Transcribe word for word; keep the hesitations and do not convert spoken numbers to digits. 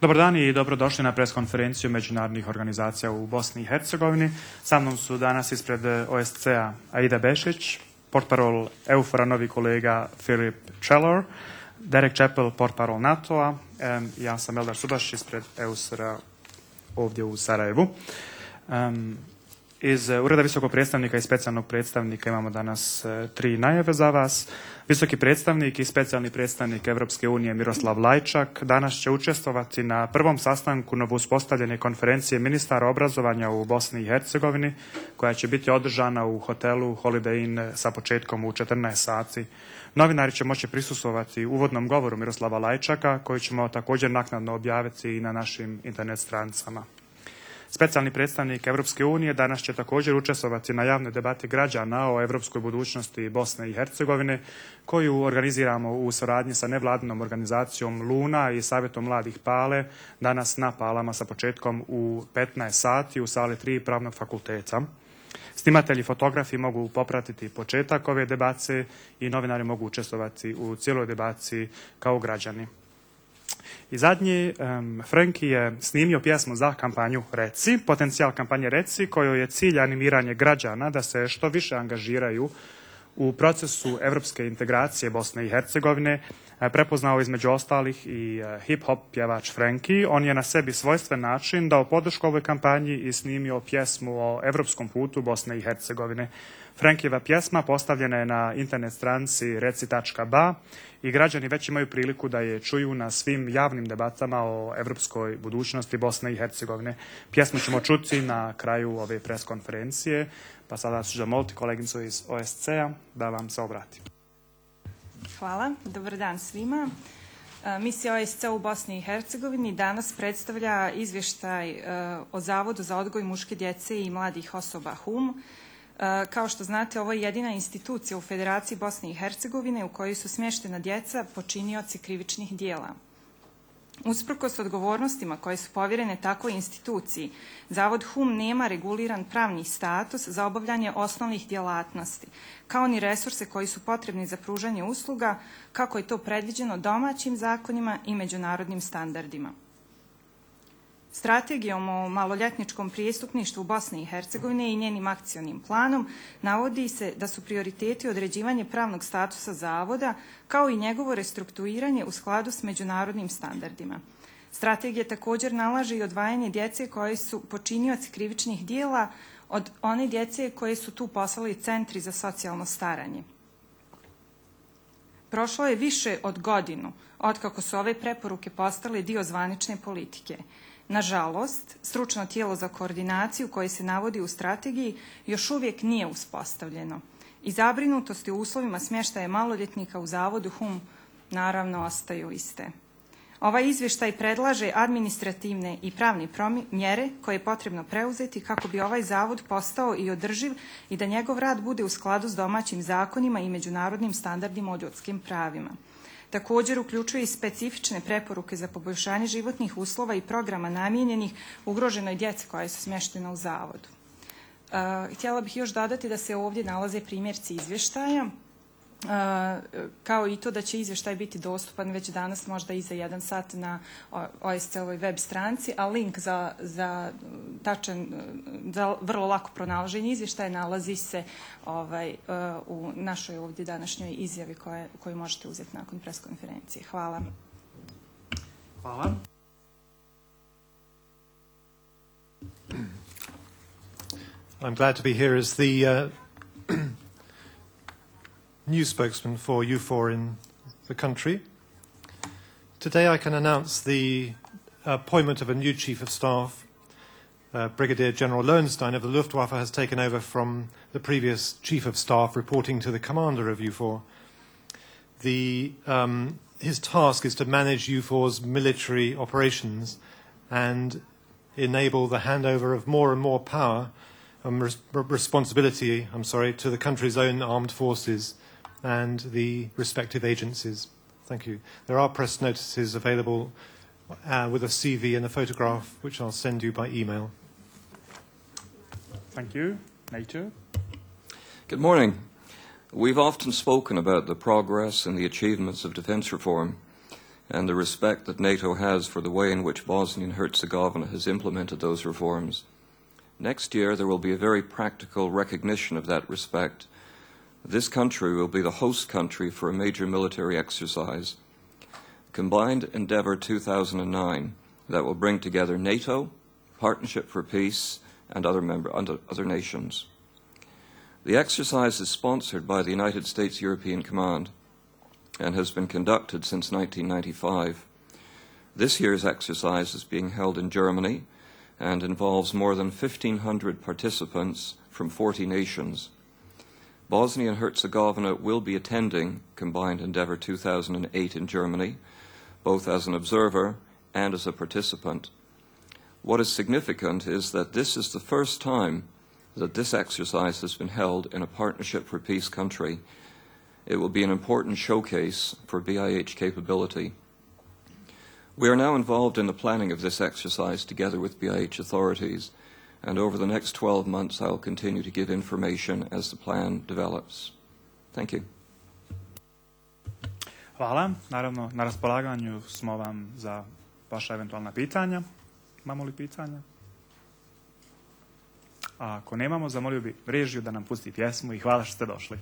Dobar dan i dobrodošli na preskonferenciju međunarodnih organizacija u Bosni i Hercegovini. Sa mnom su danas ispred O S C-a Aida Bešić, portparol EUFOR-a novi kolega Philip Chalor, Derek Chappell, portparol NATO-a, ja sam Eldar Subaš ispred E U S R-a ovdje u Sarajevu. Um, Iz Ureda visokog predstavnika i specijalnog predstavnika imamo danas e, tri najave za vas. Visoki predstavnik i specijalni predstavnik Evropske unije Miroslav Lajčak danas će učestvovati na prvom sastanku novouspostavljene konferencije ministara obrazovanja u Bosni i Hercegovini, koja će biti održana u hotelu Holiday Inn sa početkom u četrnaest sati. Novinari će moći prisustvovati uvodnom govoru Miroslava Lajčaka, koji ćemo također naknadno objaviti i na našim internet stranicama. Specijalni predstavnik Evropske unije danas će također učestvovati na javnoj debati građana o evropskoj budućnosti Bosne i Hercegovine, koju organiziramo u suradnji sa nevladinom organizacijom Luna i Savjetom mladih Pale, danas na Palama sa početkom u petnaest sati u sali tri Pravnog fakulteta. Snimatelji i fotografi mogu popratiti početak ove debacije i novinari mogu učestvovati u cijeloj debaciji kao građani. I zadnji, um, Franki je snimio pjesmu za kampanju Reci, potencijal kampanje Reci, kojoj je cilj animiranje građana da se što više angažiraju u procesu evropske integracije Bosne i Hercegovine. Prepoznao između ostalih i hip-hop pjevač Franki. On je na sebi svojstven način dao podršku ovoj kampanji i snimio pjesmu o evropskom putu Bosne i Hercegovine. Frankijeva pjesma postavljena je na internet stranici reci tačka ba i građani već imaju priliku da je čuju na svim javnim debatama o evropskoj budućnosti Bosne i Hercegovine. Pjesmu ćemo čuti na kraju ove preskonferencije, pa sada ću zamoliti koleginicu iz O S C-a da vam se obrati. Hvala, dobar dan svima. Misija O S C u Bosni i Hercegovini danas predstavlja izvještaj o Zavodu za odgoj muške djece i mladih osoba H U M. Kao što znate, ovo je jedina institucija u Federaciji Bosne i Hercegovine u kojoj su smještena djeca počinioci krivičnih dijela. Usprkos odgovornostima koje su povjerene takvoj instituciji, Zavod H U M nema reguliran pravni status za obavljanje osnovnih djelatnosti, kao ni resurse koji su potrebni za pružanje usluga, kako je to predviđeno domaćim zakonima i međunarodnim standardima. Strategijom o maloljetničkom prijestupništvu u Bosni i Hercegovine i njenim akcionim planom navodi se da su prioriteti određivanje pravnog statusa zavoda kao i njegovo restrukturiranje u skladu s međunarodnim standardima. Strategija također nalaže i odvajanje djece koje su počinioci krivičnih dijela od one djece koje su tu poslali centri za socijalno staranje. Prošlo je više od godinu otkako su ove preporuke postale dio zvanične politike. Nažalost, stručno tijelo za koordinaciju koje se navodi u strategiji još uvijek nije uspostavljeno i zabrinutosti u uslovima smještaja maloljetnika u Zavodu H U M naravno ostaju iste. Ovaj izvještaj predlaže administrativne i pravne mjere koje je potrebno preuzeti kako bi ovaj zavod postao i održiv i da njegov rad bude u skladu s domaćim zakonima i međunarodnim standardima o ljudskim pravima. Također uključuje i specifične preporuke za poboljšanje životnih uslova i programa namijenjenih ugroženoj djeci koja su smještena u zavodu. Uh, htjela bih još dodati da se ovdje nalaze primjerci izvještaja, uh, kao i to da će izvještaj biti dostupan već danas, možda i za jedan sat na O S C-ovoj web stranici, a link za, za, tačan, za vrlo lako pronalaženje izvještaja nalazi se ovaj, uh, u našoj ovdje današnjoj izjavi koje, koju možete uzeti nakon preskonferencije. Hvala. Hvala. I'm glad to be here as the uh, new spokesman for U four in the country. Today I can announce the appointment of a new Chief of Staff. Uh, Brigadier General Lowenstein of the Luftwaffe has taken over from the previous Chief of Staff reporting to the commander of U four. The, um, his task is to manage U four's military operations and enable the handover of more and more power and res responsibility, I'm sorry, to the country's own armed forces and the respective agencies. Thank you. There are press notices available uh, with a C V and a photograph, which I'll send you by email. Thank you. NATO. Good morning. We've often spoken about the progress and the achievements of defence reform. and the respect that NATO has for the way in which Bosnia and Herzegovina has implemented those reforms. Next year, there will be a very practical recognition of that respect. This country will be the host country for a major military exercise, Combined Endeavour two thousand nine, that will bring together NATO, Partnership for Peace, and other, member, other nations. The exercise is sponsored by the United States European Command and has been conducted since nineteen ninety-five. This year's exercise is being held in Germany and involves more than fifteen hundred participants from forty nations. Bosnia and Herzegovina will be attending Combined Endeavour two thousand eight in Germany, both as an observer and as a participant. What is significant is that this is the first time that this exercise has been held in a Partnership for Peace country. It will be an important showcase for B I H capability. We are now involved in the planning of this exercise together with B I H authorities, and over the next twelve months I will continue to give information as the plan develops. Thank you. Hvala. Naravno, na raspolaganju smo vam za vaša eventualna pitanja. Imamo li pitanja? A ako nemamo, zamolio bi režiju da nam pusti pjesmu i hvala što ste došli.